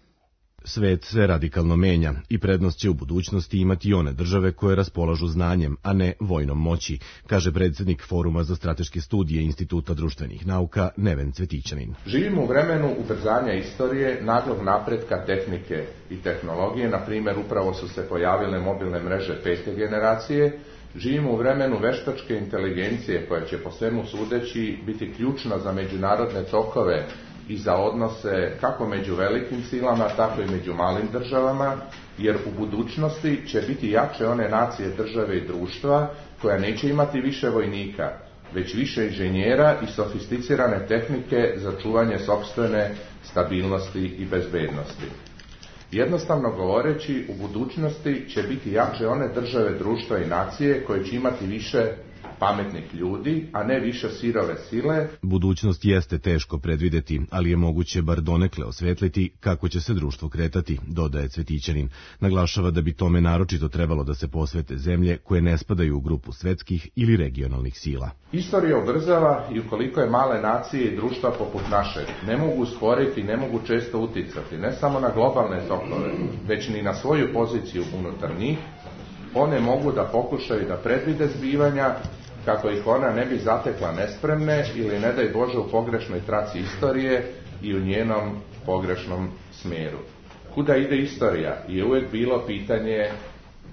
Svet se radikalno menja i prednost će u budućnosti imati one države koje raspolažu znanjem, a ne vojnom moći, kaže predsjednik Foruma za strateške studije Instituta društvenih nauka Neven Cvetićanin. Živimo u vremenu ubrzanja istorije, naglog napretka tehnike i tehnologije, na primjer upravo su se pojavile mobilne mreže 5. generacije. Živimo u vremenu veštačke inteligencije koja će po svemu sudeći biti ključna za međunarodne tokove i za odnose kako među velikim silama, tako i među malim državama, jer u budućnosti će biti jače one nacije, države i društva koja neće imati više vojnika, već više inženjera i sofisticirane tehnike za čuvanje sopstvene stabilnosti i bezbednosti. Jednostavno govoreći, u budućnosti će biti jače one države, društva i nacije koje će imati više pametnih ljudi, a ne više sirove sile. Budućnost jeste teško predvideti, ali je moguće bar donekle osvetliti kako će se društvo kretati, dodaje Cvetićanin. Naglašava da bi tome naročito trebalo da se posvete zemlje koje ne spadaju u grupu svetskih ili regionalnih sila. Istorija ubrzava i ukoliko je male nacije i društva poput našeg ne mogu usporiti i ne mogu često uticati, ne samo na globalne tokove, već ni na svoju poziciju unutar njih, one mogu da pokušaju da predvide zbivanja kako ih ona ne bi zatekla nespremne ili ne daj Bože u pogrešnoj traci istorije i u njenom pogrešnom smjeru. Kuda ide istorija je uvijek bilo pitanje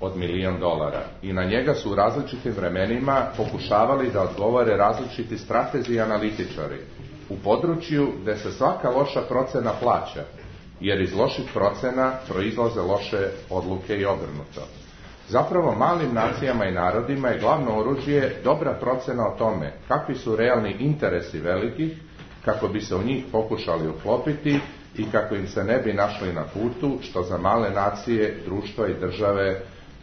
od $1.000.000 i na njega su u različitim vremenima pokušavali da odgovore različiti stratezi i analitičari u području gde se svaka loša procena plaća, jer iz loših procena proizlaze loše odluke i obrnuto. Zapravo malim nacijama i narodima je glavno oružje dobra procena o tome kakvi su realni interesi velikih, kako bi se u njih pokušali uklopiti i kako im se ne bi našli na putu, što za male nacije, društva i države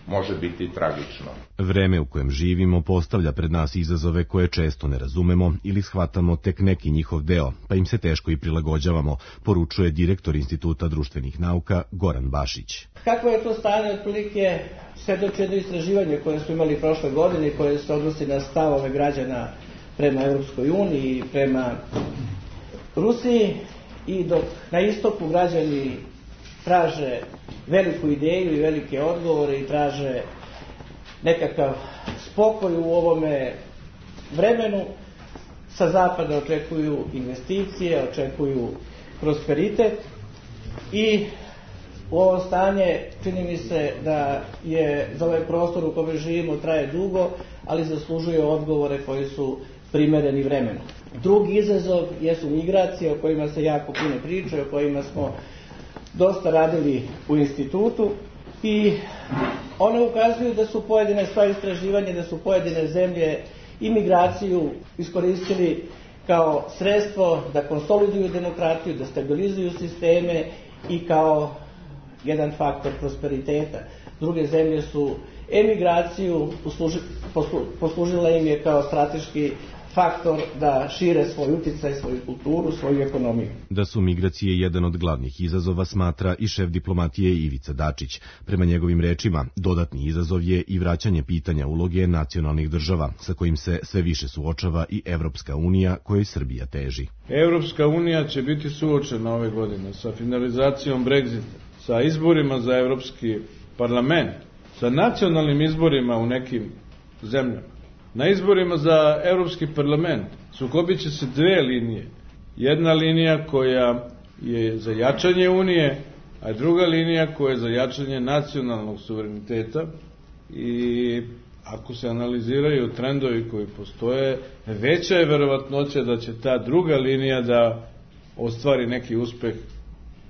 može biti tragično. Vreme u kojem živimo postavlja pred nas izazove koje često ne razumemo ili shvatamo tek neki njihov deo, pa im se teško i prilagođavamo, poručuje direktor Instituta društvenih nauka Goran Bašić. Kako je to stanje otprilike svedoči jedno istraživanje koje smo imali prošle godine, koje se odnosi na stavove građana prema Europskoj uniji i prema Rusiji i dok na istoku građani traže veliku ideju i velike odgovore i traže nekakav spokoj u ovome vremenu, sa zapada očekuju investicije, očekuju prosperitet i u ovo stanje čini mi se da je za ovaj prostor u kome živimo traje dugo, ali zaslužuje odgovore koji su primereni vremenu. Drugi izazov jesu migracije o kojima se jako puno priča, o kojima smo dosta radili u institutu i one ukazuju da su pojedine stvari istraživanja, da su pojedine zemlje imigraciju iskoristili kao sredstvo da konsoliduju demokratiju, da stabilizuju sisteme i kao jedan faktor prosperiteta. Druge zemlje su emigraciju poslužila im je kao strateški faktor da šire svoj uticaj, svoju kulturu, svoju ekonomiju. Da su migracije jedan od glavnih izazova smatra i šef diplomatije Ivica Dačić. Prema njegovim rečima, dodatni izazov je i vraćanje pitanja uloge nacionalnih država, sa kojim se sve više suočava i Evropska unija, kojoj Srbija teži. Evropska unija će biti suočena ove godine sa finalizacijom Brexita, sa izborima za Evropski parlament, sa nacionalnim izborima u nekim zemljama. Na izborima za Evropski parlament sukobit će se dve linije. Jedna linija koja je za jačanje Unije, a druga linija koja je za jačanje nacionalnog suvereniteta. I ako se analiziraju trendovi koji postoje, veća je verovatnoća da će ta druga linija da ostvari neki uspeh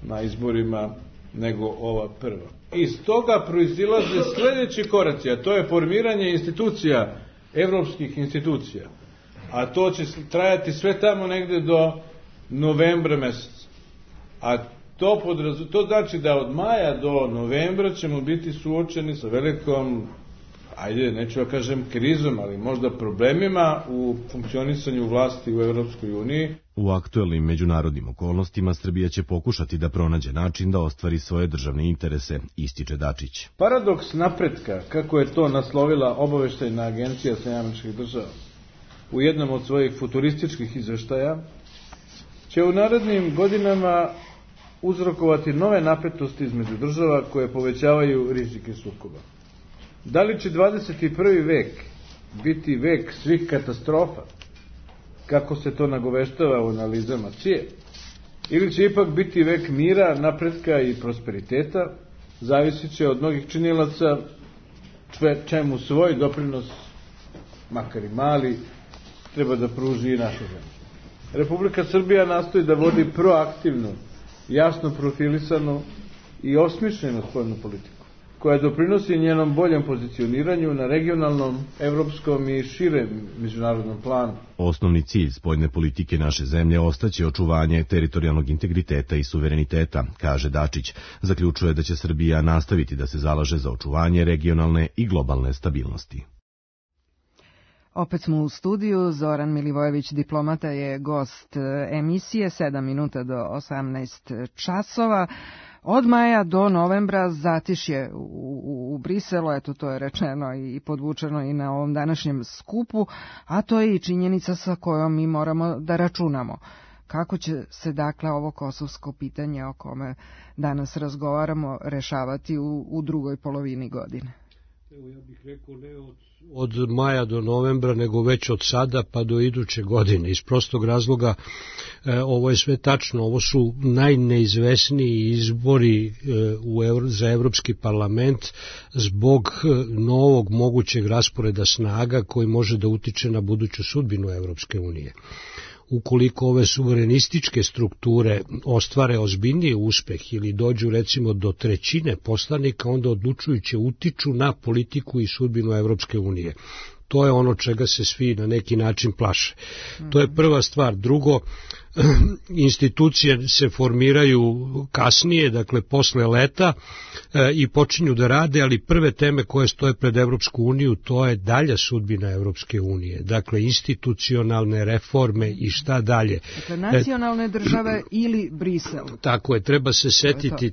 na izborima nego ova prva. Iz toga proizilaze sledeći koraci, a to je formiranje institucija, evropskih institucija, a to će trajati sve tamo negde do novembra meseca. A to znači da od maja do novembra ćemo biti suočeni sa velikom, neću da kažem krizom, ali možda problemima u funkcionisanju vlasti u Evropskoj uniji. U aktuelnim međunarodnim okolnostima Srbija će pokušati da pronađe način da ostvari svoje državne interese, ističe Dačić. Paradoks napretka, kako je to naslovila obaveštajna agencija SAD u jednom od svojih futurističkih izveštaja, će u narednim godinama uzrokovati nove napetosti između država koje povećavaju rizike sukoba. Da li će 21. vek biti vek svih katastrofa, kako se to nagoveštava u analizama CIA, ili će ipak biti vek mira, napretka i prosperiteta, zavisit će od mnogih činilaca, čemu svoj doprinos, makar i mali, treba da pruži i naša zemlja. Republika Srbija nastoji da vodi proaktivnu, jasno profilisanu i osmišljenu spoljnu politiku, koja doprinosi njenom boljem pozicioniranju na regionalnom, evropskom i širem međunarodnom planu. Osnovni cilj spoljne politike naše zemlje ostaće očuvanje teritorijalnog integriteta i suvereniteta, kaže Dačić. Zaključuje da će Srbija nastaviti da se zalaže za očuvanje regionalne i globalne stabilnosti. Opet smo u studiju, Zoran Milivojević, diplomata, je gost emisije, 7 minuta do 18 časova. Od maja do novembra zatišje u Briselu, eto to je rečeno i podvučeno i na ovom današnjem skupu, a to je i činjenica sa kojom mi moramo da računamo. Kako će se dakle ovo kosovsko pitanje o kome danas razgovaramo rešavati u drugoj polovini godine? Evo, ja bih rekao ne od maja do novembra, nego već od sada pa do iduće godine. Iz prostog razloga, ovo je sve tačno, ovo su najneizvesniji izbori za Evropski parlament zbog novog mogućeg rasporeda snaga koji može da utiče na buduću sudbinu Evropske unije. Ukoliko ove suverenističke strukture ostvare ozbiljniji uspeh ili dođu recimo do trećine poslanika, onda odlučujuće utiču na politiku i sudbinu Evropske unije. To je ono čega se svi na neki način plaše. To je prva stvar. Drugo, institucije se formiraju kasnije, dakle posle leta, i počinju da rade, ali prve teme koje stoje pred Evropsku uniju, to je dalja sudbina Evropske unije. Dakle, institucionalne reforme i šta dalje. Dakle, nacionalne države ili Brisel. Tako je,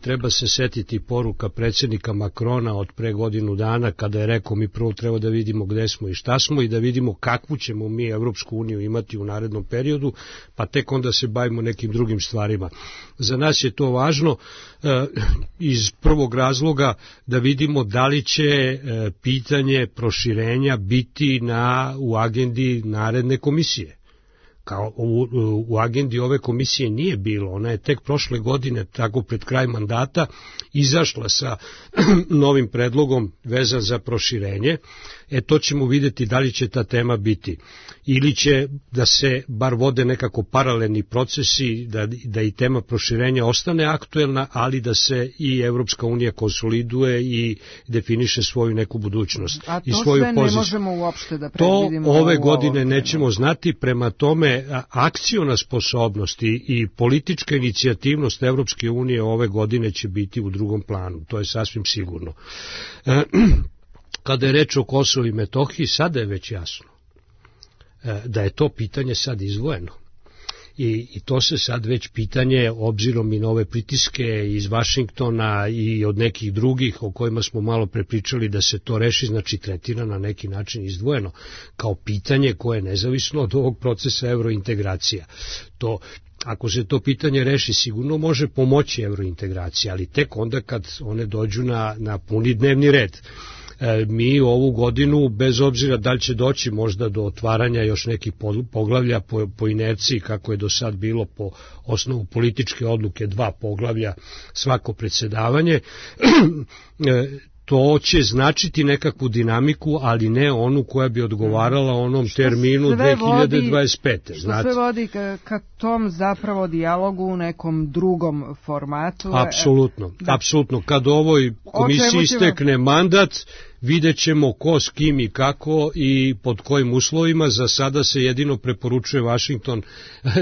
treba se setiti poruka predsjednika Makrona od pre godinu dana, kada je rekao mi prvo treba da vidimo gde smo i šta smo i da vidimo kakvu ćemo mi Evropsku uniju imati u narednom periodu, pa tek onda se bavimo nekim drugim stvarima. Za nas je to važno iz prvog razloga da vidimo da li će pitanje proširenja biti u agendi naredne komisije. Kao u agendi ove komisije nije bilo, ona je tek prošle godine, tako pred kraj mandata, izašla sa novim predlogom vezan za proširenje. To ćemo vidjeti da li će ta tema biti. Ili će da se bar vode nekako paralelni procesi, da i tema proširenja ostane aktuelna, ali da se i Evropska unija konsoliduje i definiše svoju neku budućnost. A to i svoju sve poziciju. Ne možemo uopšte da predvidimo. To ove godine nećemo znati, prema tome akciona sposobnost i politička inicijativnost Evropske unije ove godine će biti u drugom planu, to je sasvim sigurno. Kada je reč o Kosovu i Metohiji, sada je već jasno da je to pitanje sad izdvojeno. I to se sad već pitanje, obzirom i na ove pritiske iz Vašingtona i od nekih drugih o kojima smo malo prepričali da se to reši, znači tretira na neki način izdvojeno kao pitanje koje je nezavisno od ovog procesa evrointegracija. Ako se to pitanje reši, sigurno može pomoći evrointegracija, ali tek onda kad one dođu na puni dnevni red. Mi ovu godinu, bez obzira da li će doći možda do otvaranja još nekih poglavlja po inerciji, kako je do sad bilo po osnovu političke odluke 2 poglavlja svako predsjedavanje, to će značiti nekakvu dinamiku, ali ne onu koja bi odgovarala onom terminu 2025. Što sve vodi ka tom zapravo dijalogu u nekom drugom formatu? Apsolutno. Kad ovoj komisiji istekne mandat, vidjet ćemo ko s kim i kako i pod kojim uslovima. Za sada se jedino preporučuje Vašington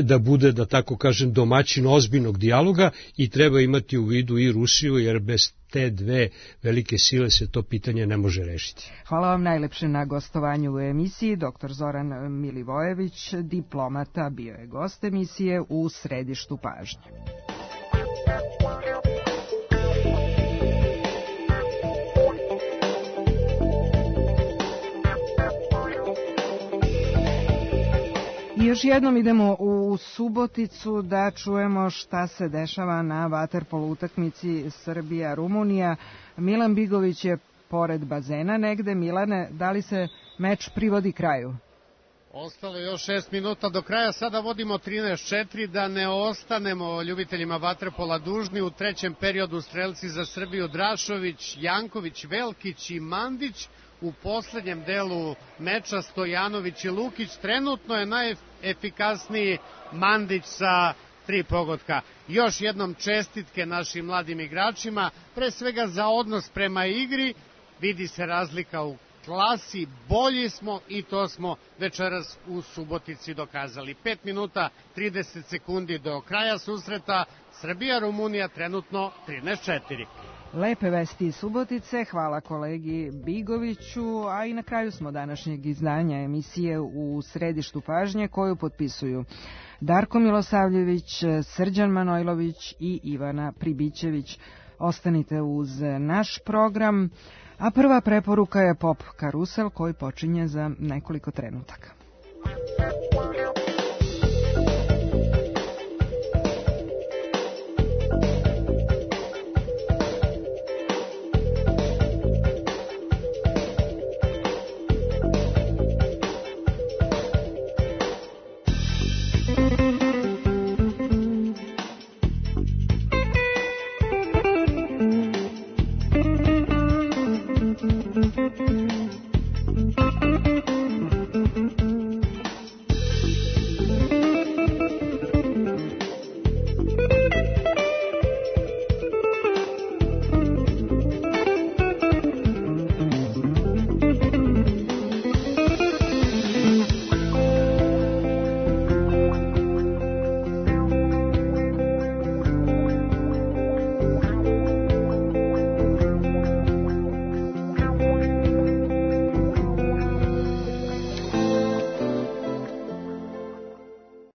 da bude, da tako kažem, domaćin ozbiljnog dijaloga i treba imati u vidu i Rusiju, jer bez te dve velike sile se to pitanje ne može rešiti. Hvala vam najlepše na gostovanju u emisiji. Dr. Zoran Milivojević, diplomata, bio je gost emisije U središtu pažnje. I još jednom idemo u Suboticu da čujemo šta se dešava na vaterpolo utakmici Srbija-Rumunija. Milan Bigović je pored bazena negde. Milane, da li se meč privodi kraju? Ostalo još 6 minuta do kraja, sada vodimo 13-4, da ne ostanemo ljubiteljima vaterpola dužni. U trećem periodu strelci za Srbiju Drašović, Janković, Velkić i Mandić. U poslednjem delu meča Stojanović i Lukić. Trenutno je najefikasniji Mandić sa 3 pogotka. Još jednom čestitke našim mladim igračima, pre svega za odnos prema igri. Vidi se razlika u klasi, bolji smo i to smo večeras u Subotici dokazali. 5 minuta 30 sekundi do kraja susreta. Srbija-Rumunija trenutno 13-4. Lepe vesti iz Subotice, hvala kolegi Bigoviću, a i na kraju smo današnjeg izdanja emisije U središtu pažnje, koju potpisuju Darko Milosavljević, Srđan Manojlović i Ivana Pribićević. Ostanite uz naš program, a prva preporuka je Pop Karusel koji počinje za nekoliko trenutaka.